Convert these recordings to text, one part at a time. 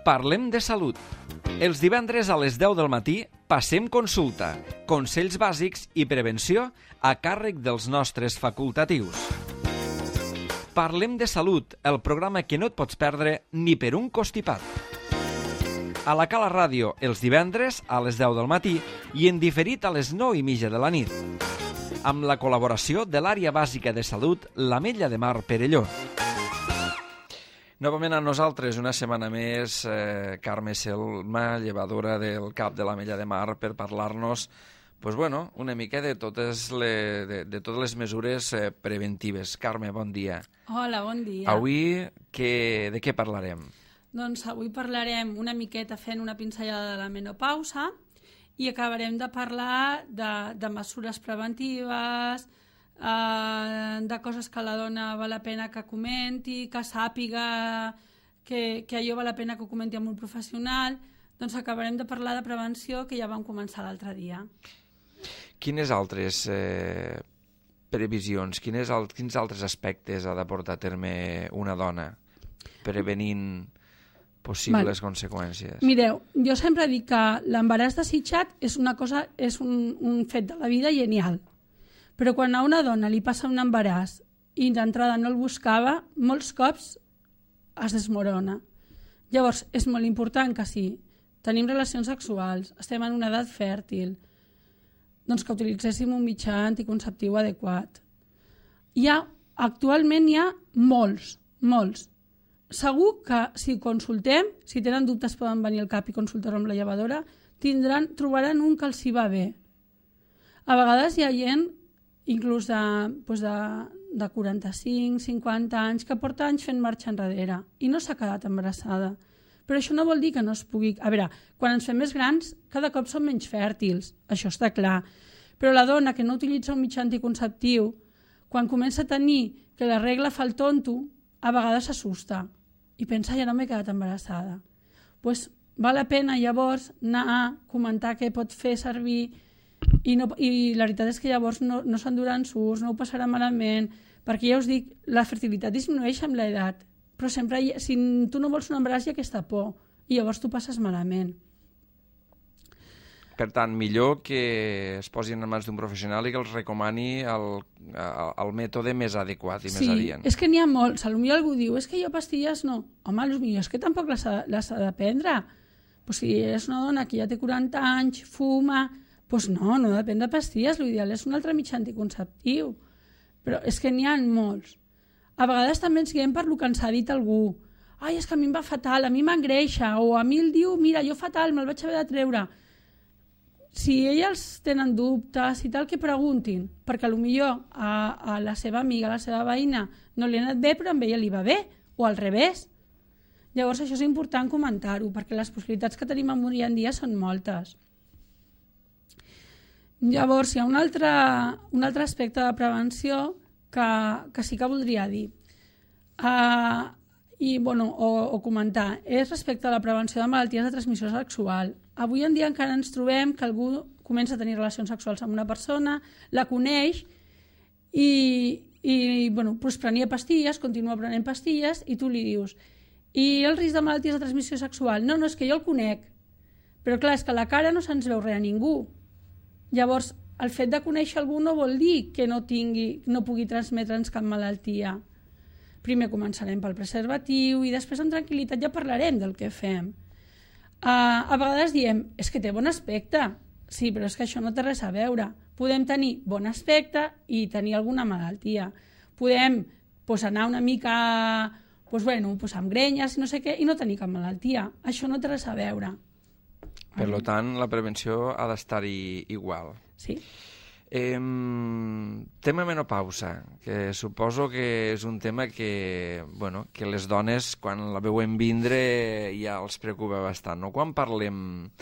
Parlem de salut. Els divendres a les 10 del matí passem consulta, consells bàsics i prevenció a càrrec dels nostres facultatius. Parlem de salut, el programa que no et pots perdre ni per un costipat. A la Cala Ràdio, els divendres a les 10 del matí i en diferit a les 9:30 de la nit. Amb la col·laboració de l'Àrea Bàsica de Salut, l'Ametlla de Mar Perelló. Novament amb nosaltres, una setmana més, Carme Selma, llevadora del CAP de l'Ametlla de Mar, per parlar-nos una mica de totes les mesures preventives. Carme, bon dia. Hola, bon dia. Avui, de què parlarem? Doncs avui parlarem una miqueta fent una pinzellada de la menopausa i acabarem de parlar de mesures preventives, de coses que la dona val la pena que comenti, que sàpiga que allò val la pena que ho comenti amb un professional. Doncs acabarem de parlar de prevenció, que ja vam començar l'altre dia. Quines altres previsions, quins altres aspectes ha de portar a terme una dona prevenint possibles conseqüències? Mireu, jo sempre dic que l'embaràs desitjat és un fet de la vida genial. Però quan a una dona li passa un embaràs i d'entrada no el buscava, molts cops es desmorona. Llavors, és molt important que si tenim relacions sexuals, estem en una edat fèrtil, doncs que utilitzéssim un mitjà anticonceptiu adequat. Actualment hi ha molts. Segur que si consultem, si tenen dubtes poden venir al CAP i consultar amb la llevadora, trobaran un que els hi va bé. A vegades hi ha gent inclús de 45, 50 anys, que porta anys fent marxa enrere i no s'ha quedat embarassada. Però això no vol dir que no es pugui... A veure, quan ens fem més grans, cada cop som menys fèrtils, això està clar. Però la dona que no utilitza un mitjà anticonceptiu, quan comença a tenir que la regla fa el tonto, a vegades s'assusta i pensa, ja no m'he quedat embarassada. Doncs val la pena llavors anar a comentar què pot fer servir i la veritat és que llavors no s'enduran sucs, no ho passarà malament, perquè ja us dic, la fertilitat disminueix amb l'edat, però sempre si tu no vols un embaràs hi ha aquesta por i llavors tu passes malament. Per tant, millor que es posin en mans d'un professional i que els recomani el mètode més adequat i més adient. Sí, és que n'hi ha molts. Potser algú diu, és que jo pastilles no. Home, potser és que tampoc les ha de prendre. Pues si és una dona que ja té 40 anys, fuma... Doncs no depèn de pastilles, l'ideal és un altre mitjà anticonceptiu. Però és que n'hi ha molts. A vegades també ens guiem per lo que ens ha dit algú. Ai, és que a mi em va fatal, a mi m'engreixa, o a mi el diu, mira, jo fatal, me'l vaig haver de treure. Si elles tenen dubtes i tal, que preguntin, perquè potser a la seva amiga, a la seva veïna, no li ha anat bé, però a ella li va bé, o al revés. Llavors això és important comentar-ho, perquè les possibilitats que tenim avui en dia són moltes. Llavors, hi ha un altre aspecte de prevenció que sí que voldria dir o comentar, és respecte a la prevenció de malalties de transmissió sexual. Avui en dia encara ens trobem que algú comença a tenir relacions sexuals amb una persona, la coneix i prenia pastilles, continua prenent pastilles i tu li dius, i el risc de malalties de transmissió sexual? No, és que jo el conec. Però clar, és que a la cara no se'ns veu res a ningú. Llavors, el fet de conèixer algú no vol dir que no pugui transmetre'ns cap malaltia. Primer començarem pel preservatiu i després amb tranquil·litat ja parlarem del que fem. A vegades diem, és que té bon aspecte. Sí, però és que això no té res a veure. Podem tenir bon aspecte i tenir alguna malaltia. Podem anar una mica amb grenyes i no sé què i no tenir cap malaltia. Això no té res a veure. Per tant, la prevenció ha d'estar-hi igual. Sí. Tema menopausa, que suposo que és un tema que les dones, quan la veuen vindre, ja els preocupa bastant. No? Quan parlem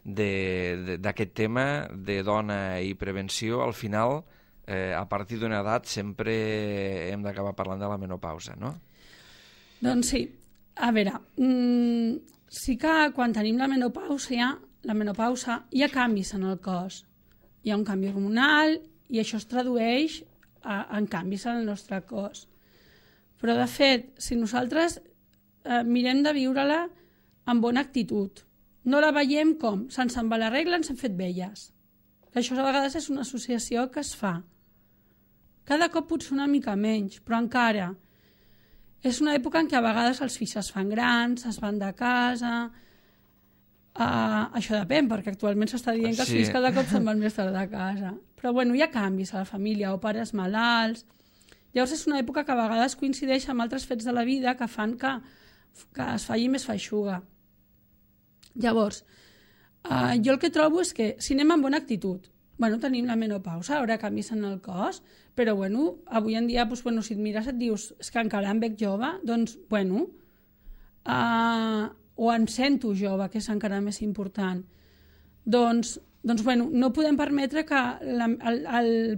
d'aquest tema de dona i prevenció, al final, a partir d'una edat, sempre hem d'acabar parlant de la menopausa, no? Doncs sí. A veure, sí que quan tenim la menopausa hi ha canvis en el cos. Hi ha un canvi hormonal i això es tradueix en canvis en el nostre cos. Però, de fet, si nosaltres mirem de viure-la amb bona actitud. No la veiem com, se'ns en va la regla, ens hem fet velles. Això a vegades és una associació que es fa. Cada cop potser una mica menys, però encara. És una època en què a vegades els fills es fan grans, es van de casa. Això depèn, perquè actualment s'està dient que els fills cada cop se'n van més tard de casa. Però bueno, hi ha canvis a la família, o pares malalts. Llavors és una època que a vegades coincideix amb altres fets de la vida que fan que es faci més feixuga. Llavors, jo el que trobo és que si anem amb bona actitud, tenim la menopausa, ara canvis en el cos, però avui en dia, si et mires et dius és que encara em veig jove, doncs, o em sento jove, que és encara més important. Doncs no podem permetre que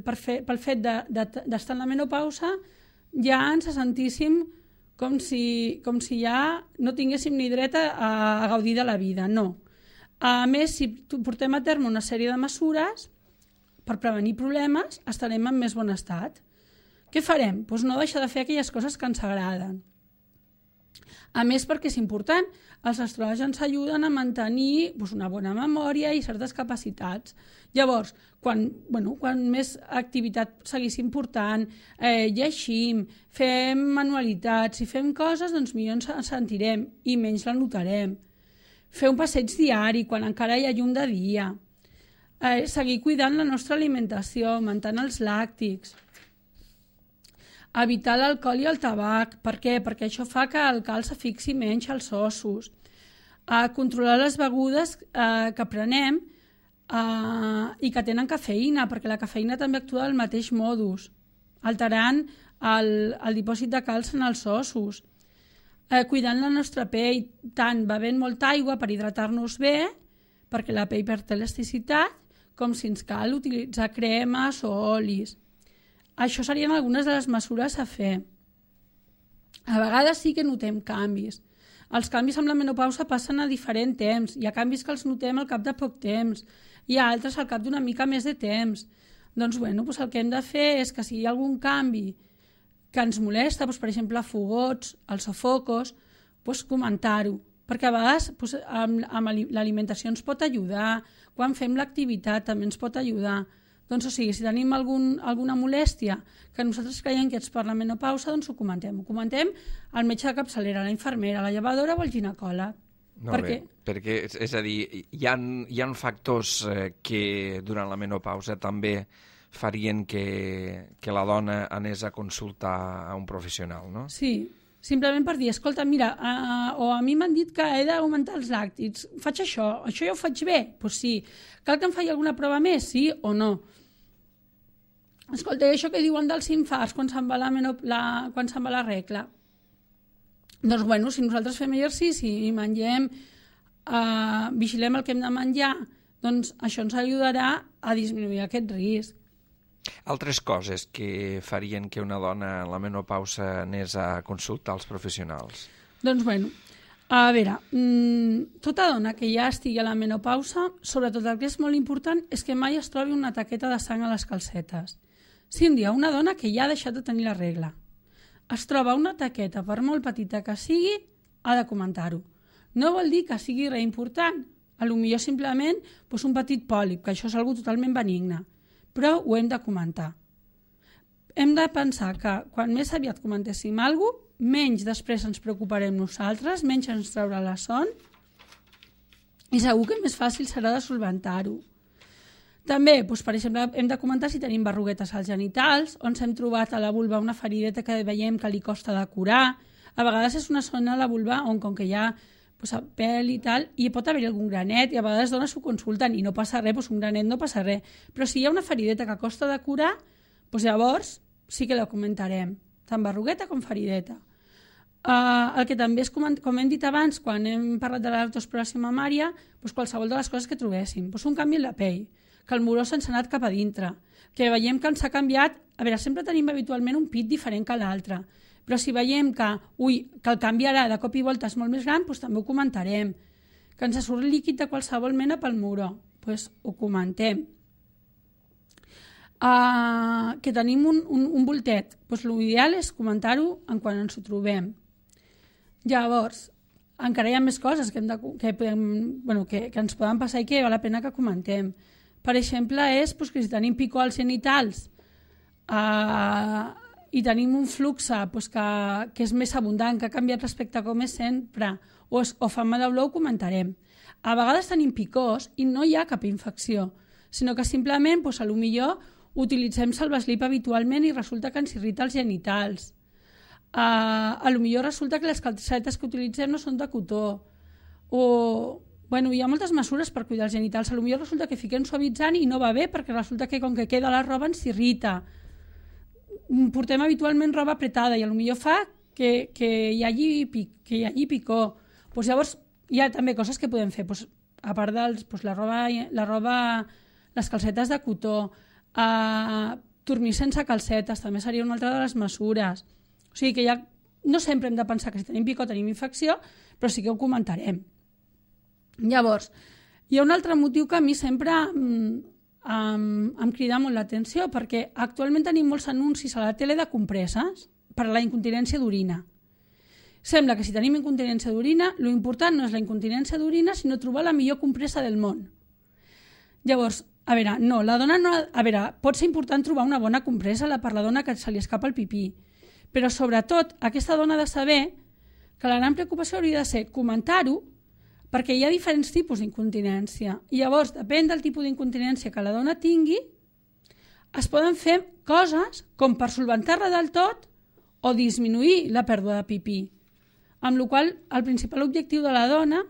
pel fet d'estar en la menopausa ja ens sentíssim com si ja no tinguéssim ni dret a gaudir de la vida, no. A més, si portem a terme una sèrie de mesures per prevenir problemes, estarem en més bon estat. Què farem? Doncs no deixar de fer aquelles coses que ens agraden. A més, perquè és important, els estrògens ajuden a mantenir una bona memòria i certes capacitats. Llavors, quan més activitat seguíssim portant, llegim, fem manualitats i fem coses, doncs millor ens sentirem i menys la notarem. Fer un passeig diari quan encara hi ha llum de dia. Seguir cuidant la nostra alimentació, augmentant els làctics. Evitar l'alcohol i el tabac. Per què? Perquè això fa que el calç s'afixi menys als ossos. Controlar les begudes que prenem i que tenen cafeïna, perquè la cafeïna també actua del mateix modus, alterant el dipòsit de calç en els ossos. Cuidant la nostra pell, tant bevent molta aigua per hidratar-nos bé, perquè la pell perd elasticitat, com si ens cal utilitzar cremes o olis. Això serien algunes de les mesures a fer. A vegades sí que notem canvis. Els canvis amb la menopausa passen a diferent temps. Hi ha canvis que els notem al cap de poc temps. Hi ha altres al cap d'una mica més de temps. Doncs el que hem de fer és que si hi ha algun canvi que ens molesta, per exemple, fogots, els sofocos, comentar-ho. Perquè a vegades amb l'alimentació ens pot ajudar, quan fem l'activitat també ens pot ajudar. Doncs, si tenim alguna molèstia que nosaltres creiem que és per la menopausa, doncs ho comentem. Ho comentem al metge de capçalera, a la infermera, a la llevadora o al ginecòleg. Perquè, és a dir, hi ha factors que durant la menopausa també farien que la dona anés a consultar a un professional, no? Sí, simplement per dir, escolta, mira, o a mi m'han dit que he d'augmentar els làctics, faig això ja ho faig bé? Doncs sí. Cal que em faci alguna prova més, sí o no? Escolta, això que diuen dels infarts quan se'n va la regla? Doncs, si nosaltres fem exercici i mengem, vigilem el que hem de menjar, doncs això ens ajudarà a disminuir aquest risc. Altres coses que farien que una dona en la menopausa anés a consultar als professionals? Doncs, a veure, tota dona que ja estigui a la menopausa, sobretot el que és molt important és que mai es trobi una taqueta de sang a les calcetes. Si un dia una dona que ja ha deixat de tenir la regla es troba una taqueta, per molt petita que sigui, ha de comentar-ho. No vol dir que sigui res important, potser simplement un petit pòlip, que això és algo totalment benigne, però ho hem de comentar. Hem de pensar que quan més aviat comentéssim alguna cosa, menys després ens preocuparem nosaltres, menys ens traurà la son i segur que més fàcil serà de solventar-ho. També, per exemple, hem de comentar si tenim berruguetes als genitals, on s'hem trobat a la vulva una ferideta que veiem que li costa de curar. A vegades és una zona a la vulva on, com que hi ha pèl i tal, i pot haver-hi algun granet, i a vegades dones s'ho consulten i no passa res, un granet no passa res. Però si hi ha una ferideta que costa de curar, llavors sí que la comentarem, tant berrugueta com ferideta. El que també és, com hem dit abans, quan hem parlat de l'artroesclerosi mamària, qualsevol de les coses que trobéssim. Un canvi en la pell, que el moró se'ns ha anat cap a dintre, que veiem que ens ha canviat. A veure, sempre tenim habitualment un pit diferent que l'altre, però si veiem que el canvi ara de cop i volta és molt més gran, també ho comentarem. Que ens surt líquid de qualsevol mena pel moró, ho comentem. Que tenim un voltet, l'ideal és comentar-ho quan ens ho trobem. Llavors, encara hi ha més coses que ens poden passar i que val la pena que comentem. Per exemple, és que si tenim picor als genitals i tenim un flux que és més abundant, que ha canviat respecte a com és sempre, o fama de olor, ho comentarem. A vegades tenim picors i no hi ha cap infecció, sinó que simplement, potser utilitzem salvaslip habitualment i resulta que ens irrita els genitals. Potser resulta que les calcetes que utilitzem no són de cotó. Hi ha moltes mesures per cuidar els genitals. Potser resulta que fiquem suavitzant i no va bé perquè resulta que com que queda la roba ens irrita. Portem habitualment roba apretada i potser fa que hi hagi picor. Llavors hi ha també coses que podem fer. A part de la roba, les calcetes de cotó, dormir sense calcetes també seria una altra de les mesures. O sigui que no sempre hem de pensar que si tenim picor tenim infecció, però sí que ho comentarem. Llavors, hi ha un altre motiu que a mi sempre em crida molt l'atenció, perquè actualment tenim molts anuncis a la tele de compreses per a la incontinència d'orina. Sembla que si tenim incontinència d'orina, l'important no és la incontinència d'orina, sinó trobar la millor compresa del món. Llavors, pot ser important trobar una bona compresa per la dona que se li escapa el pipí, però sobretot aquesta dona ha de saber que la gran preocupació hauria de ser comentar-ho, perquè hi ha diferents tipus d'incontinència. I llavors, depèn del tipus d'incontinència que la dona tingui, es poden fer coses com per solventar-la del tot o disminuir la pèrdua de pipí. Amb la qual cosa, el principal objectiu de la dona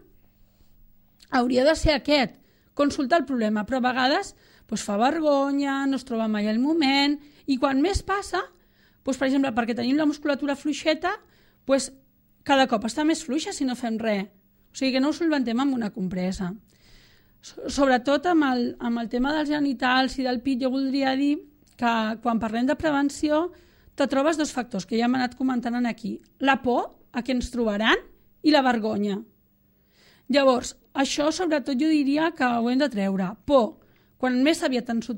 hauria de ser aquest, consultar el problema, però a vegades fa vergonya, no es troba mai el moment, i quan més passa, per exemple, perquè tenim la musculatura fluixeta, cada cop està més fluixa si no fem res. O sigui que no ho solventem amb una compresa. Sobretot amb el tema dels genitals i del pit, jo voldria dir que quan parlem de prevenció te trobes dos factors que ja hem anat comentant aquí. La por a què ens trobaran i la vergonya. Llavors, això sobretot jo diria que ho hem de treure. Por. Quan més aviat ens ho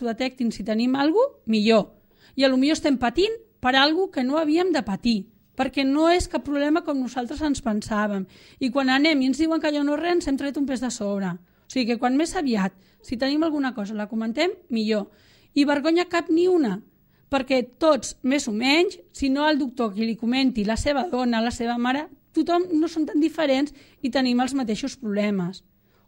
detectin si tenim alguna cosa, millor. I potser estem patint per alguna cosa que no havíem de patir, perquè no és cap problema com nosaltres ens pensàvem. I quan anem i ens diuen que allò no és res, ens hem tret un pes de sobre. O sigui que quan més aviat, si tenim alguna cosa, la comentem, millor. I vergonya cap ni una, perquè tots, més o menys, si no el doctor que li comenti, la seva dona, la seva mare, tothom no són tan diferents i tenim els mateixos problemes.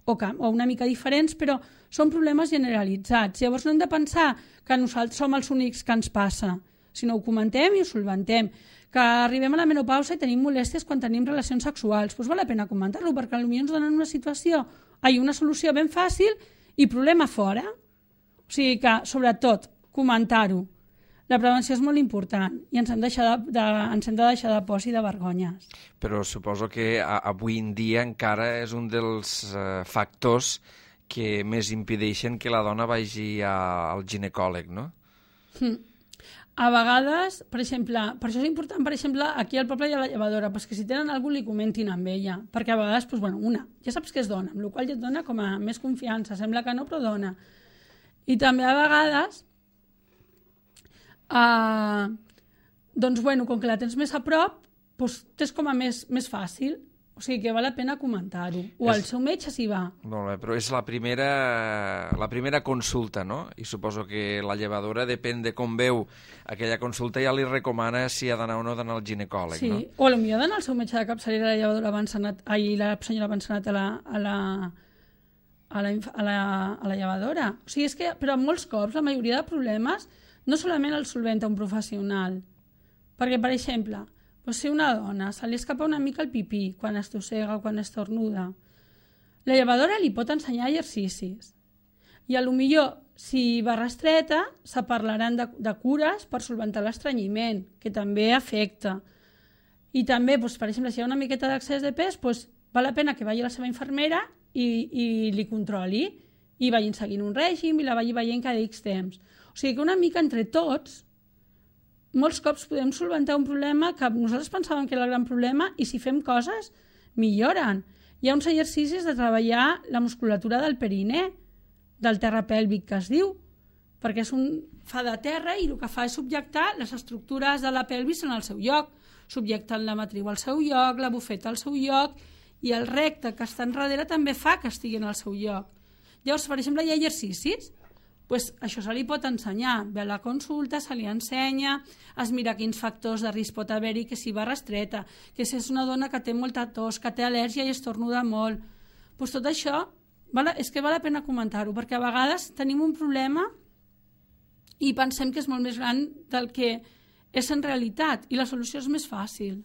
O una mica diferents, però són problemes generalitzats. Llavors no hem de pensar que nosaltres som els únics que ens passa, sinó ho comentem i ho solventem. Que arribem a la menopausa i tenim molèsties quan tenim relacions sexuals, doncs val la pena comentar-lo, perquè potser ens donen una solució ben fàcil i problema fora. O sigui que, sobretot, comentar-ho. La prevenció és molt important i ens hem de deixar de pors i de vergonyes. Però suposo que avui en dia encara és un dels factors que més impedeixen que la dona vagi al ginecòleg, no? A vegades, per exemple, per això és important, per exemple, aquí al poble hi ha la llevadora, que si tenen algú li comentin amb ella, perquè a vegades, ja saps que és dona, amb la qual cosa ja et dona com a més confiança, sembla que no, però dona. I també a vegades, com que la tens més a prop, t'és com a més fàcil. O sigui que val la pena comentar-ho. O el seu metge s'hi va. Molt bé, però és la primera consulta, no? I suposo que la llevadora, depèn de com veu aquella consulta, ja li recomana si ha d'anar o no d'anar al ginecòleg, no? Sí, o potser ha d'anar al seu metge de capçalera, la llevadora abans anat, la senyora abans anat a la llevadora. O sigui, és que, però molts cops, la majoria de problemes, no solament el solventa un professional. Perquè, per exemple, si una dona se li escapa una mica el pipí quan estossega o quan estornuda, la llevadora li pot ensenyar exercicis. I potser, si va restreta, se parlaran de cures per solventar l'estrenyiment, que també afecta. I també, per exemple, si hi ha una miqueta d'excés de pes, val la pena que vagi a la seva infermera i li controli, i vagin seguint un règim i la vagi veient cada X temps. O sigui que una mica entre tots, molts cops podem solventar un problema que nosaltres pensàvem que era el gran problema i si fem coses, milloren. Hi ha uns exercicis de treballar la musculatura del perinè, del terra pèlvic que es diu, perquè fa de terra i el que fa és subjectar les estructures de la pelvis en el seu lloc. O subjectant la matriu al seu lloc, la bufeta al seu lloc, i el recte que està enrere també fa que estigui al seu lloc. Llavors, per exemple, hi ha exercicis, doncs això se li pot ensenyar. Ve a la consulta, se li ensenya, es mira quins factors de risc pot haver-hi, que si va restreta, que si és una dona que té molta tos, que té al·lèrgia i estornuda molt. Doncs tot això és que val la pena comentar-ho, perquè a vegades tenim un problema i pensem que és molt més gran del que és en realitat, i la solució és més fàcil.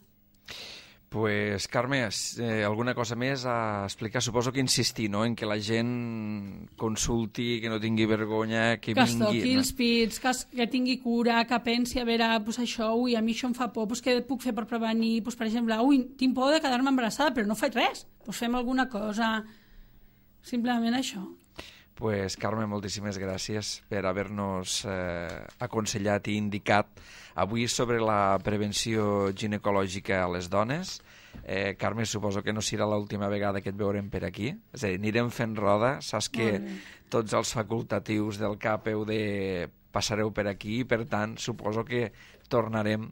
Pues, Carme, alguna cosa més a explicar? Suposo que insistir, no?, en que la gent consulti, que no tingui vergonya, que vingui... Que es toqui els pits, que tingui cura, que pensi, a veure, pues això, ui, a mi això em fa por, pues què puc fer per prevenir? Pues, per exemple, ui, tinc por de quedar-me embarassada, però no faig res, pues fem alguna cosa, simplement això. Pues, Carme, moltíssimes gràcies per haver-nos aconsellat i indicat avui sobre la prevenció ginecològica a les dones. Carme, suposo que no serà l'última vegada que et veurem per aquí. És a dir, anirem fent roda. Saps que tots els facultatius del CAP passareu per aquí i, per tant, suposo que tornarem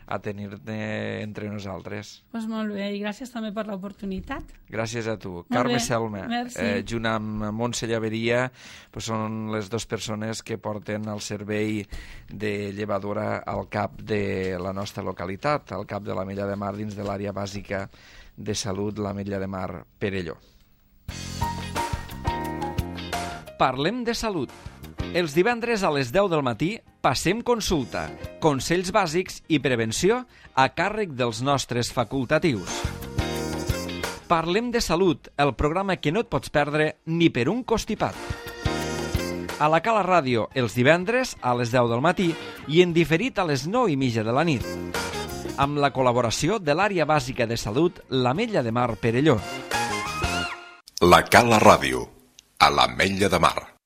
a tenir-te entre nosaltres. Doncs molt bé, i gràcies també per l'oportunitat. Gràcies a tu. Carme Selma, junt amb Montse Llaveria, són les dues persones que porten el servei de llevadora al CAP de la nostra localitat, al CAP de l'Ametlla de Mar, dins de l'àrea bàsica de salut, l'Ametlla de Mar Perelló. Parlem de salut. Els divendres a les 10 del matí passem consulta, consells bàsics i prevenció a càrrec dels nostres facultatius. Parlem de salut, el programa que no et pots perdre ni per un costipat. A la Cala Ràdio, els divendres a les 10 del matí i en diferit a les 9:30 de la nit. Amb la col·laboració de l'àrea bàsica de salut, l'Ametlla de Mar Perelló. La Cala Ràdio, a l'Ametlla de Mar.